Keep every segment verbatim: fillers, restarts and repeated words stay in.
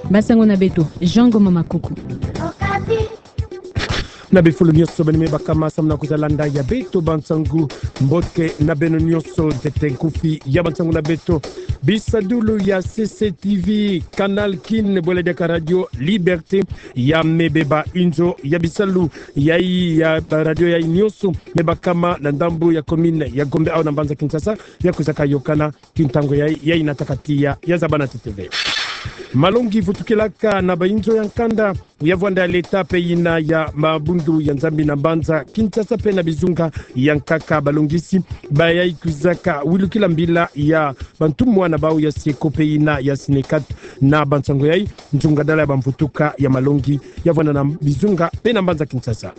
Bansangu na beto, Jean Ngoma Makuku. Na bifulu nyonso beno me bakama samu na kwiza landa ya beto bansangu, mbote na beno nyonso. Ntete nkufi ya bansangu na beto. Bisadulu ya C C T V, Canal Kin, bwela diaka Radio Liberté, ya me beba inzo ya bisalu yai, ya radio yai nyonso me bakama na ndambu ya commune ya Gombe au na mbanza Kinshasa, ya kwizaka yokana ti ntangu yai, yai na takatiya ya zabana teteve. Malongi vutukilaka na bainzo ya nkanda ya vwanda ya leta pe yina ya mabundu ya Nzambi na mbanza Kinshasa pe na bizunga ya nkaka, balongisi bayai kwizaka wilukila mbila ya bantumwa na bau ya Sieko pe yina ya Sinekat na bansangu yai, nzungadala ya bamvutuka ya malongi ya vwanda na bizunga pe na mbanza Kinshasa.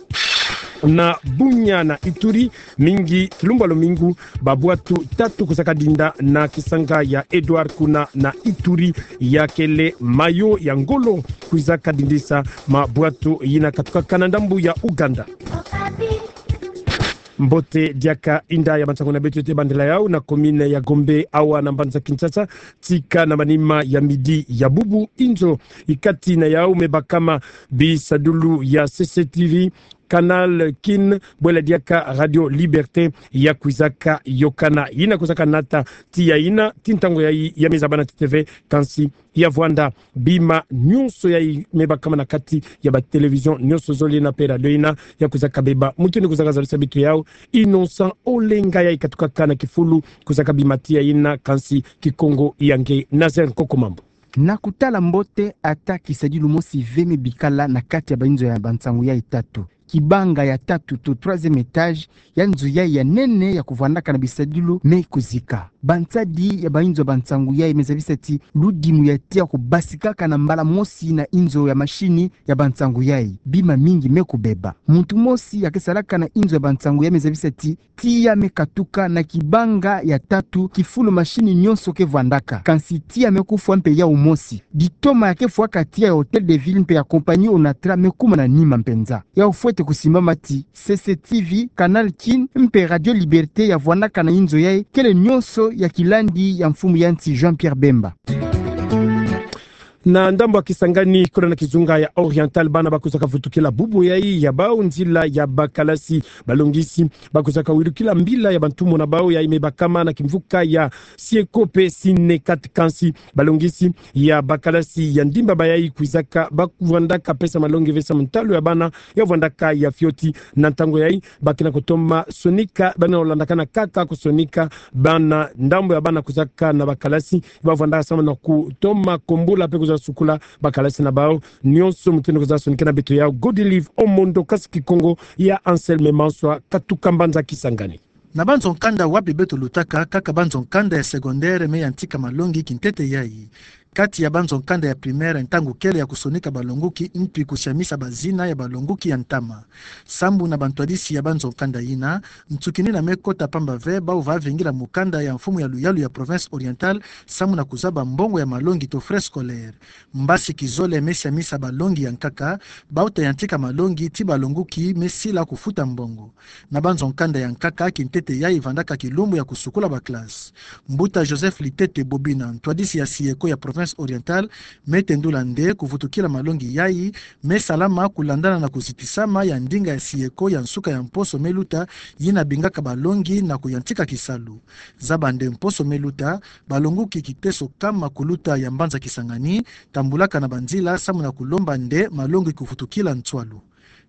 Na Bunia na Ituri, mingi kilumbu ya lumingu, babwatu tatu kwizaka dinda na kisanga ya Edouard kuna na Ituri, ya kele mayo ya ngolo kwizaka dindisa mabwatu yina katukaka na ndambu ya Uganda. Mbote diaka, inda ya bansangu na beto ete bandela yau na commune ya Gombe awa na mbanza Kinshasa, tika na manima ya midi ya bubu, inzo ikati na yau me bakama bisadulu ya C C T V, Canal Kin, bwela diaka Radio Liberté, ya kwizaka yokana yina kwizaka nata tiya yina ti ntangu yai ya me zabana teteve, kansi ya vwanda bima nyonso yai me bakama na kati ya ba télévision nyonso zole na pe radio yina, ya kwizaka beba mutindu kwizaka zabisa beto yau Innocent Olenga, yai katukaka na kifulu kwizaka bima tiya yina, kansi Kikongo ya nge Nazaire Nkoko Mambu. Na kutala mbote, ata kisadilu mosi ve me bikala na kati ya bainzo ya bansangu yai tatu. Kibanga ya tatu to troisième étage ya nzo yai ya nene ya kuvwandaka na bisadilu me kuzika. Bansadi ya bainzo ya bansangu yai me zabisa ti ludimu ya tiya kubasikaka na mbala mosi na inzo ya mashini ya bansangu yai, bima mingi me kubeba. Muntu mosi ya ke salaka na inzo ya bansangu yai me zabisa ti tiya me katuka na kibanga ya tatu kifulu mashini nyonso ke vwandaka. Kansi tiya me kufwa mpe yau mosi. Ditoma ya ke fwaka tiya ya Hôtel de Ville mpe ya compagnie Onatra me kuma na nima mpenza. Yau fwete kusimbama ti C C T V, Canal Kin mpe Radio Liberté ya vwandaka na inzo yai kele nyonso ya kilandi ya mfumu ya nsi Jean-Pierre Bemba. Na ndambu ya Kisangani, kola na kizunga ya Oriental, bana ba kwizaka vutukila bubu yai ya bau nzila ya bakalasi. Balongisi ba kwizaka wilukila mbila ya bantumwa na bau yai me bakama na kimvuka ya Sieko pe Sinekat, kansi balongisi ya bakalasi ya ndimba bayai kwizaka ba vwandaka pesa malongi ve samu ntalu ya bana ya vwandaka ya fioti. Na ntangu yai, ba ke na kutoma sonika, bana landakana kaka kusonika bana, ndambu ya bana kwizaka na bakalasi ba vwandaka samu na kutoma kombula pe kwiza sukula bakalasi na bau. Nyonso mutindu kwizaka sonikana beto yau, Godelive Omondo, kasi Kikongo ya Anselme Manswa, katuka mbanza Kisangani. Na banzo nkanda wapi beto lutaka, kaka banzo nkanda ya secondaire me yantika malongi kintete yai. Kati ya banzo nkanda ya primaire, ntangu kele ya kusonika balonguki mpi kusiamisa bazina ya balonguki ya ntama. Sambu na bantwadisi ya banzo nkanda yina, nsuki nina me kota pamba ve bau va vingila mukanda ya mfumu ya luyalu ya Province Orientale samu na kuzaba mbongo ya malongi to frais scolaires. Mbasi kizole me siamisa balongi ya nkaka bau ta yantika malongi ti balonguki me sila kufuta mbongo. Na banzo nkanda ya nkaka, kintete yai vandaka kilumbu ya kusukula bakalasi. Mbuta Joseph Litete Bobina, ntwadisi ya Sieko ya Province Orientale, me tendula nde kuvutukila malongi yai me salama kulandana na kuzitisama ya ndinga ya Sieko ya nsuka ya mposo me luta, yina bingaka balongi na kuyantika kisalu. Zaba nde mposo me luta, balonguki kiteso kama kuluta ya mbanza Kisangani tambulaka na banzila samu na kulomba nde malongi kuvutukila nswalu.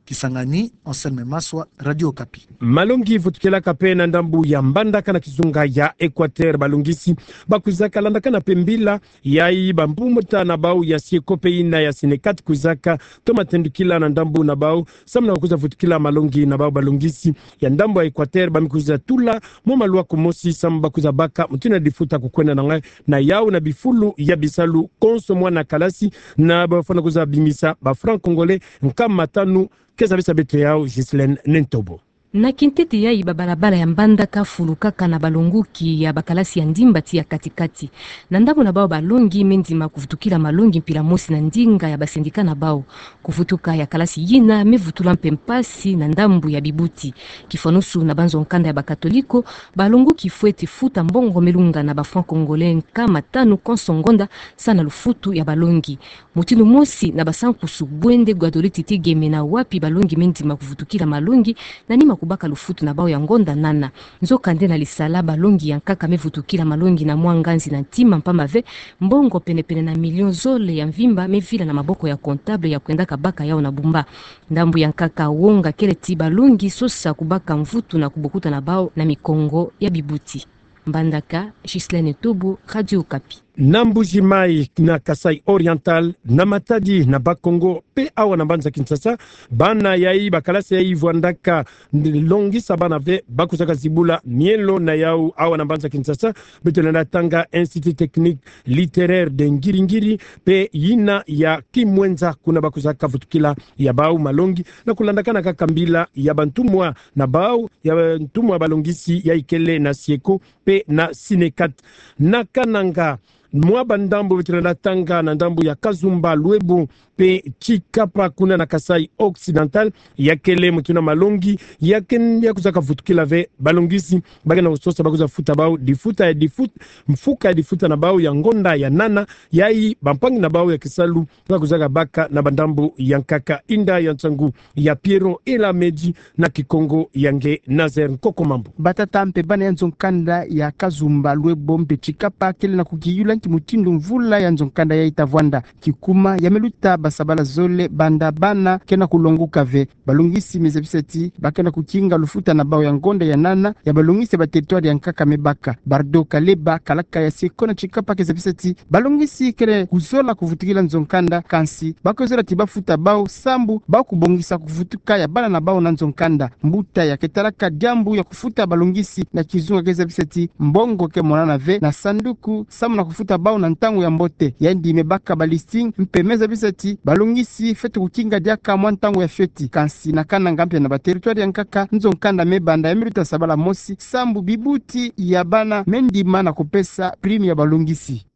Kisangani, Anselme Maswa, Radio Okapi. Malongi vutukilaka pe na ndambu ya Mbandaka na kizunga ya Equateur. Balongisi ba kwizaka landakana pe mbila yai bambuta na bau ya Sieko pe yina ya Sinekat kwizaka toma tendukila na ndambu na bau samu na kwiza vutukila malongi na bau. Balongisi ya ndambu ya Equateur ba me kwiza tula mo malwa kumosi samu ba kwiza baka mutindu ya difuta kukwenda na ngai na yau na bifulu ya bisalu konso mwana kalasi na ba fwana kwiza bimisa ba francs congolais nkama tanu. Ke zabisa beto yau Ghislaine Nentobo. Na kintete yayi, babalabala ya Mbandaka fulukaka na balongoki ya bakalasi ya ndimba ti ya kati-kati. Na ndambu na bau balongi me ndima kuvutukila malongi mpila mosi na ndinga ya basendika na bau. Kuvutuka ya kalasi yina me vutula mpe mpasi na ndambu ya bibuti. Kifwanusu na banzo-nkanda ya bakatoliko, balongoki fweti futa mbongo me lunga na ba francs congolais nkama tanu konso ngonda, sa na lufutu ya balongi. Mutindu mosi na basankusu, bwende Guadolite Tigeme na wapi balongi me ndima kuvutukila malongi na nima kubaka lufutu na bau ya ngonda nana. Nzokande na lisala, balongi ya nkaka me vutukila malongi na mwa nganzi na ntima, mpamba ve mbongo pene-pene na million zole ya mvimba me vila na maboko ya comptable ya kwendaka baka yau na bumba. Ndambu ya nkaka wonga kele ti balongi sosa kubaka mvutu na kubokuta na bau na mikongo ya bibuti. Mbandaka, Ghislaine Tobo, Radio Okapi. Na Mbuji-Mayi, na Kasaï Oriental, na Matadi, na Bas-Congo, mpe awa na mbanza Kinshasa, bana yayi, bakalasi yayi vwandaka longisa bana ve, ba kwizaka zibula mielo na yau awa na mbanza Kinshasa. Beto lenda tanga Institut Technique Littéraire de Ngiri-Ngiri, mpe yina ya Kimwenza, kuna ba kwizaka vutukila ya bau malongi, na kulandakana kaka mbila ya bantumwa na bau, ya bantumwa balongisi yayi kele na SIECO mpe na SYNECAT. Na Kananga, mwa bandambu beto lenda tanga na ndambu ya Kazumba, Luebo mpe Tshikapa, kuna na Kasaï Occidental, ya kele mutindu na malongi ya ken-, ya kwizaka vutukila ve, balongisi ba kena kusosa ba kwiza futa bau difuta ya difut-, mfuka ya difuta na bau ya ngonda ya nana, yayi bampangi na bau ya kisalu ba kwizaka baka na bandambu ya nkaka. Inda ya nsangu ya Pierrot Elamedi na Kikongo ya nge Nazaire Nkoko Mambu. Batata mpe bana ya nzo-nkanda ya Kazumba, Luebo mpe Tshikapa kele na kukiyula nki mutindu mvula ya nzo-nkanda yayi ta vwanda. Kikuma ya me luta basabala zole banda bana kena kulongoka ve. Balongisi me zabisa ti ba kena kukinga lufuta na bau ya ngonda ya nana ya balongisi ya ba territoire ya nkaka me baka. Bardo Kaleba, kalaka ya SIECO na Tshikapa, ke zabisa ti balongisi kele kuzola kuvutukila nzo-nkanda, kansi ba kwizola ti ba futa bau sambu ba kubongisa kuvutuka ya bana na bau na nzo-nkanda. Mbuta ya ke talaka diambu ya kufuta balongisi na kizunga ke zabisa ti mbongo ke monana ve na sanduku samu na kufuta bau na ntangu ya mbote. Yandi me baka ba listing mpe me zabisa ti balongisi fweti kukinga diaka mwa ntangu ya fioti. Kansi na Kananga mpe na ba territoire ya nkaka, nzo-nkanda me banda ya me luta sabala mosi sambu bibuti ya bana me ndima na kupesa prime ya balongisi.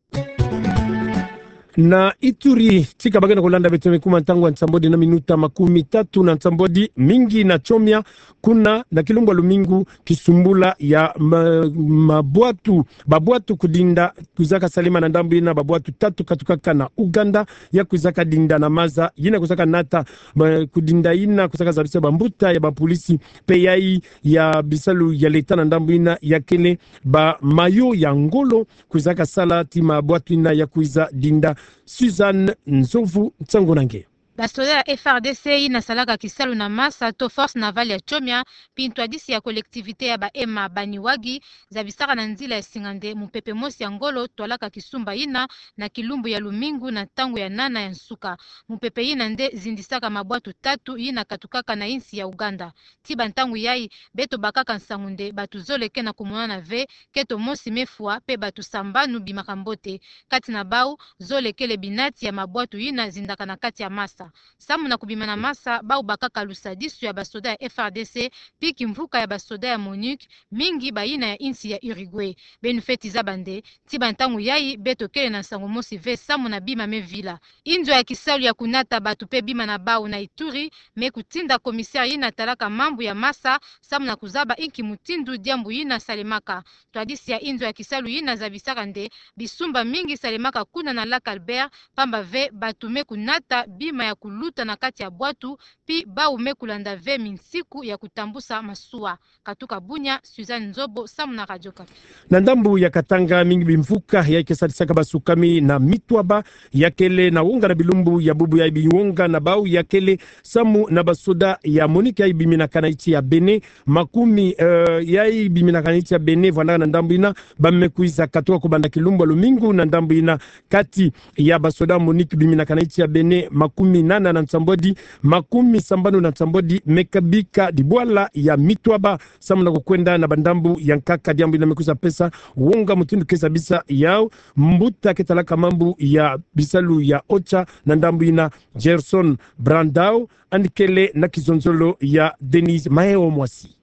Na Ituri, tika ba kena kulanda beto, me kuma ntangu ya nsambwadi na minuta makumi tatu na nsambwadi mingi na Tshomia, kuna na kilumbu ya lumingu, kisumbula ya ma-, mabwatu, babwatu kudinda kwizaka salema na ndambu yina, babwatu tatu katukaka na Uganda, ya kwizaka dinda na maza yina kwizaka nata, ba-, kudinda yina kwizaka zabisa bambuta ya bapolisi mpe yayi ya bisalu ya leta na ndambu yina ya kele ba mayo ya ngolo kwizaka sala ti mabwatu yina ya kwiza dinda. Suzanne Nzovu, nsangu na nge. Basoda ya F R D C yina salaka kisalu na masa to Force Navale ya Tshomia, mpe ntwadisi ya collectivité ya ba Ema Bani Wagi, zabisaka na nzila ya singa nde mupepe mosi ya ngolo twalaka kisumba yina na kilumbu ya lumingu na ntangu ya nana ya nsuka. Mupepe yina nde zindisaka mabwatu tatu yina katukaka na insi ya Uganda. Ti bantangu yayi, beto bakaka nsangu nde batu zole kena kumonana ve, keto mosi me fwa, mpe batu sambanu bimaka mbote. Kati na bau, zole kele binati ya mabwatu yina zindaka na kati ya masa. Samu na kubima na masa, bau bakaka lusadisu ya basoda ya F R D C, mpi kimvuka ya basoda ya MONUC, mingi bayina ya insi ya Uruguay. Beno fweti zaba nde, ti bantangu yayi, beto kele na nsangu mosi ve samu na bima me vila. Inzo ya kisalu ya kunata batu mpe bima na bau na Ituri me kutinda commissaire yina talaka mambu ya masa samu na kuzaba inki mutindu diambu yina salemaka. Ntwadisi ya inzo ya kisalu yina zabisaka nde bisumba mingi salemaka kuna na Lac Albert, pamba ve batu me kunata bima ya kuluta na kati ya bwatu, mpi bau me kulanda ve minsiku ya kutambusa masuwa. Katuka Bunia, Suzanne Nzobo, samu na Radio Okapi. Na ndambu ya Katanga, mingi bimvuka yayi ke sadisaka basukami na mitwaba ya kele na wonga na bilumbu ya bubu yayi, biwonga na bau ya kele samu na basoda ya MONUC yayi biminaka na insi ya Bénin, makumi, eh, yayi biminaka na insi ya Bénin, vwandaka na ndambu yina, ba me kwiza katuka kubanda kilumbu ya lumingu na ndambu yina, kati ya basoda MONUC biminaka na insi ya Bénin, makumi nana na nsambwadi, makumi sambanu na nsambwadi me kabika dibwala ya mitwaba samu na kukwenda na bandambu ya nkaka, diambu yina me kwiza pesa wonga mutindu ke zabisa yau mbuta ke talaka mambu ya bisalu ya OCHA na ndambu yina, Gerson Brandao, yandi kele na kizonzolo ya Denise Maeo Mwasi.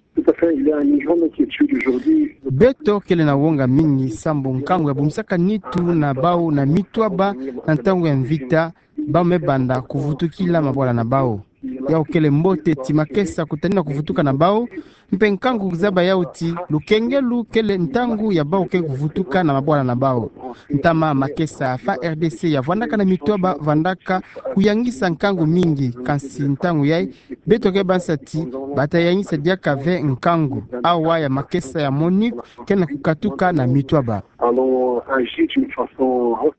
Il y a une grande inquiétude aujourd'hui. Beto kele na wonga mingi sambu nkangu ya bomisaka nitu na bau na mitwaba na ntangu ya mvita, bau me banda kuvutukila mabwala na bau. Yau kele mbote ti makesa kutanina kuvutuka na bau, mpe nkangu kuzaba yau ti lukengelu kele ntangu ya bau ke kuvutuka na mabwala na bau. Ntama makesa F A R D C ya vwandaka na mitwaba vandaka kuyangisa nkangu mingi, kansi ntangu yai beto ke bansa ti bata yangisa diaka ve nkangu. Awa ya makesa ya MONUC ke na kukatuka na mitwaba. Allons agir d'une façon.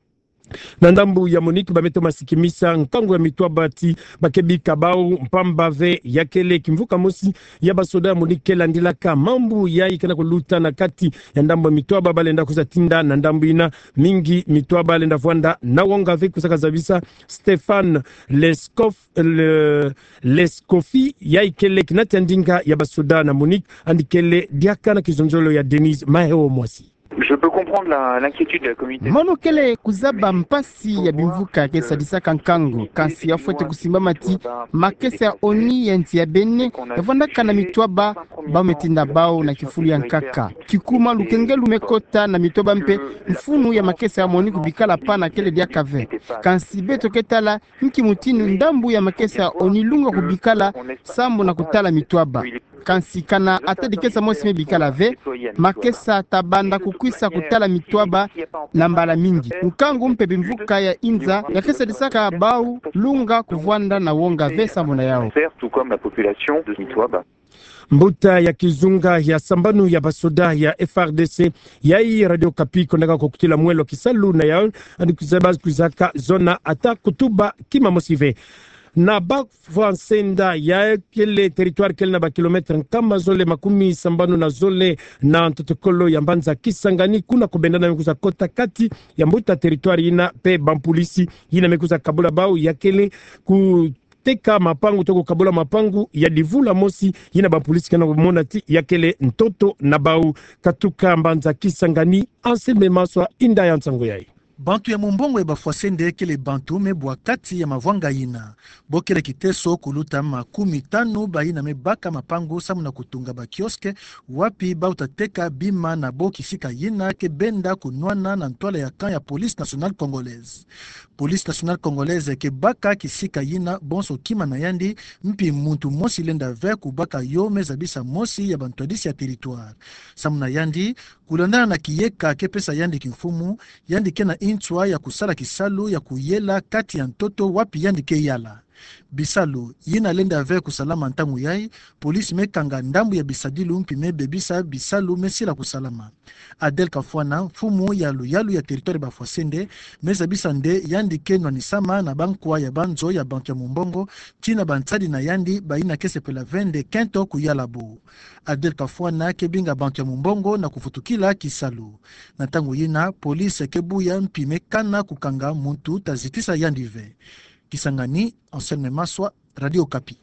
Na ndambu ya MONUC ba me toma sikimisa nkangu ya mitwaba ti ba ke bika bau mpamba ve ya kele kimvuka mosi ya basoda ya MONUC ke landilaka mambu yai ke na kuluta na kati ya ndambu ya mitwaba, ba lenda kwiza tinda na ndambu ina mingi mitwaba lenda vwanda na wonga ve. Kwizaka zabisa Stéphane Lescoff, le, Lescoffi, yai kele kinati ya ndinga ya basoda na MONUC, yandi kele diaka na kizonzolo ya Denise Maheo Mwasi. Je peux comprendre la, l'inquiétude de la communauté. Mono kele kuzaba mpasi ya bimvuka ke sadisaka nkangu, kansi ya fwete kusimbama ti makesa ya ONU ya nsi ya Bénin ya vwandaka na mitwaba, bau me tinda bau na kifulu ya nkaka. Kikuma lukengelu me kota na mitwaba mpe mfunu ya makesa ya MONUC kubikala pana kele diaka ve. Kansi beto ke tala nki mutindu ndambu ya makesa ya ONU lunga kubikala sambu na kutala mitwaba. Kansi kana ata dikesa mosi me bikala ve, makesa ta banda kukwisa kutala mitwaba na mbala mingi. Nkangu mpe bimvuka ya inza ya ke sadisaka bau lunga kuvwanda na wonga ve sambu na yau. Tout comme la population de Mitwaba. Mbuta ya kizunga ya sambanu ya basoda ya F A R D C, yai Radio Okapi kondaka kukutila mwelo kisalu na yau, yandi kuzaba kwizaka zona ata kutuba kima mosi ve. Na Bafwa Nsenda, yai kele territoire kele na ba kilomètre nkama zole makumi sambanu na zole na ntotokolo ya mbanza Kisangani, kuna kubenda na me kwiza kota kati ya mbuta territoire ina mpe bampulisi ina me kwiza kabula bau ya kele ku teka mapangu to kukabula mapangu ya divula mosi ina bampulisi ke na kumona ti ya kele ntoto na bau. Katuka mbanza Kisangani, Anselme Maswa, inda ya nsangu yai. Bantu ya mumbongo ya Bafwa Nsenda kele bantu me bwa kati ya mavwanga ina. Bo kele kiteso kuluta makumi tanu baina me baka mapangu samu na kutunga ba kiosque, wapi bau ta teka bima na bo kisika ina ke benda kunwana na ntwala ya camp ya Police Nationale Congolaise. Police Nationale Congolaise ke baka kisika ina bonso kima na yandi, mpi muntu mosi lenda ve kubaka yo, me zabisa mosi ya bantwadisi ya territoire. Samu na yandi, kulandana na kiyeka ke pesa yandi kimfumu, yandi ke na nswa ya kusala kisalu ya kuyela kati ya ntoto wapi yandi ke yala. Bisalu ina lenda ve kusalama ntangu yai, police me kanga ndambu ya bisadilu mpi me bebisa bisalu me sila kusalama. Adel Kafwana, mfumu ya luyalu ya territoire Bafwa Nsenda, me zabisa nde yandi ke nwanisama na bankwa ya banzo ya bantu ya mumbongo, tii na bansadi na yandi baina ke sepela ve nde kento kuyala bo. Adel Kafwana ke binga bantu ya mumbongo na kuvutukila kisalu. Na ntangu ina, police ke buya mpi me kana kukanga muntu ta zitisa yandi ve. Kisangani, Anselme Maswa, Radio Okapi.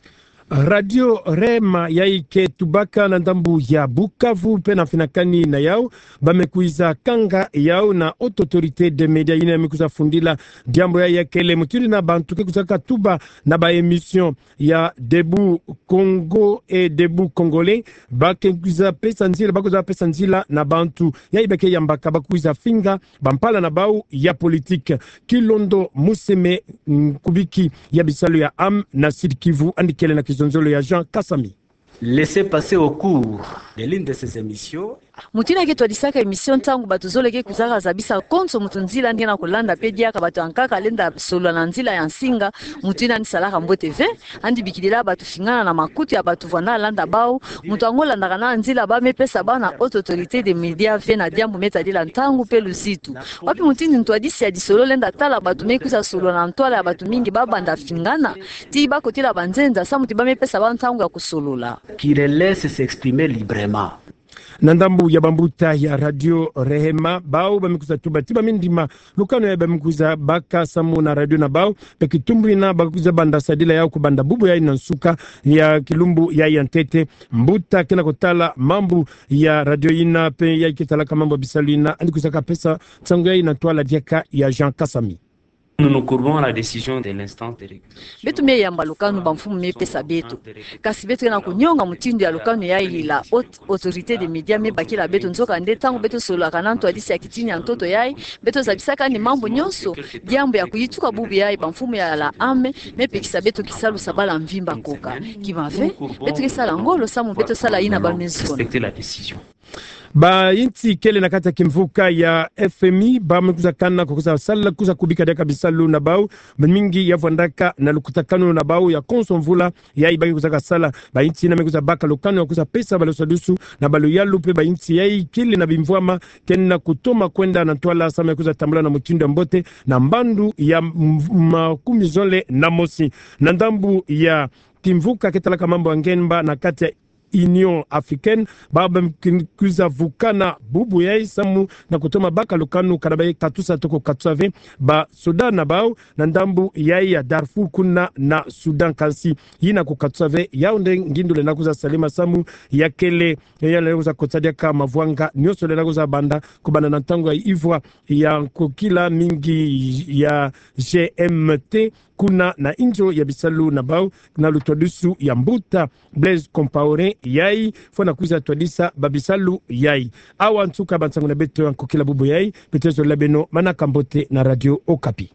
Radio Rema yai ke tubaka na ndambu ya Bukavu mpe na mfinakani na yau, ba me kwiza kanga yau na Haute Autorité des Médias ina me kwiza fundila diambu yai ya kele mutindu ina bantu ke kwizaka tuba na ba émission ya Debout Congo et Debout Congolais, ba ke kwiza pesa nzila, ba kwiza pesa nzila na bantu yai ba ke yambaka ba kwiza finga bampala na bau ya politique. Kilondo Museme, nkubiki ya bisalu ya âme na Sud-Kivu, yandi kele na kizonzolo ya Jean Kasami. Laissez-passer au cours de l'une de ces émissions. Mutu ina ke twadisaka émission ntangu bato zole ke kwizaka zabisa konso mutu nzila yandi ke na kulanda, mpe diaka bato ya nkaka lenda solola na nzila ya nsinga, mutu ina yandi salaka mbote ve. Yandi bikidila bato fingana na makutu ya bato vwanda landa bau. Mutu yango landaka na nzila ba me pesa bau na Haute Autorité des Médias ve na diambu me tadila ntangu mpe luzitu. Wapi mutindu ntwadisi ya disolo lenda tala bato me kwiza solola na ntwala ya bato mingi ba banda fingana, tii ba kotila banzenza, samu ti ba me pesa bau ntangu ya kusolola. Qui les laisse s'exprimer librement. Na ndambu ya bambuta ya Radio Rema, bau ba me kwiza tuba ti ba me ndima lukanu yai ba me kwiza baka samu na radio na bau, mpe kitumbu ina ba kwiza banda sadila yau kubanda bubu yai na nsuka ya kilumbu yai ya ntete. Mbuta ke na kotala mambu ya radio ina mpe yai ke talaka mambu ya bisalu ina, yandi kwizaka pesa nsangu yai na ntwala diaka ya Jean Kasami. Nous nous courbons à la décision de l'instance de régulation. Beto me yamba lukanu bamfumu me pesa beto. Kasi beto ke na kunyonga mutindu ya lukanu yayi la Haute Autorité des Médias me bakila beto, nzokande ntangu beto sololaka na ntwadisi ya kitini ya ntoto yayi, beto zabisaka ni mambu nyonso, diambu ya kuyituka bubu yayi bamfumu ya la ame me pekisa beto kisalu sabala mvimba koka. Kimave, beto ke sala ngolo samu beto sala yina ba me zikona. Respecter la décision. Bayinsi kele na kati ya kimvuka ya F M I, ba me kwiza kana ko kwiza sala, kwiza kubika diaka bisalu na bau, mingi ya vwandaka na lukutakanu na bau ya konso mvula, yayi ba ke kwizaka sala. Bayinsi yina me kwiza baka lukanu ya kwiza pesa balo sadusu na balo yalu mpe bayinsi yayi kele na bimvwama, kena kutoma kwenda na ntwala samu ya kwiza tambula na mutindu ya mbote, na mbandu ya m-, makumi zole na mosi. Na ndambu ya kimvuka ke talaka mambu ya ngemba na kati ya Union Africaine, ba ba m-, kin-, kwiza vukana bubu yayi samu na kutoma baka lukanu kana ba ye katusa toko katusa ve ba soda na bau na ndambu yayi ya Darfour kuna na Soudan. Kansi yina ko katusa ve, yau nde ngindu lenda kwiza salema samu ya kele, ya lenda kwiza kotisa diaka mavwanga nyonso lenda kwiza banda, kubanda na ntangu ya ivwa ya nkokila mingi ya G M T, kuna na inzo ya bisalu na bau, na lutwadusu ya mbuta Blaise Compaoré yayi, fwana kwiza twadisa babisalu yayi. Awa nsuka bansangu na beto ya nkokila bubu yayi, beto zololo beno manaka mbote na Radio Okapi.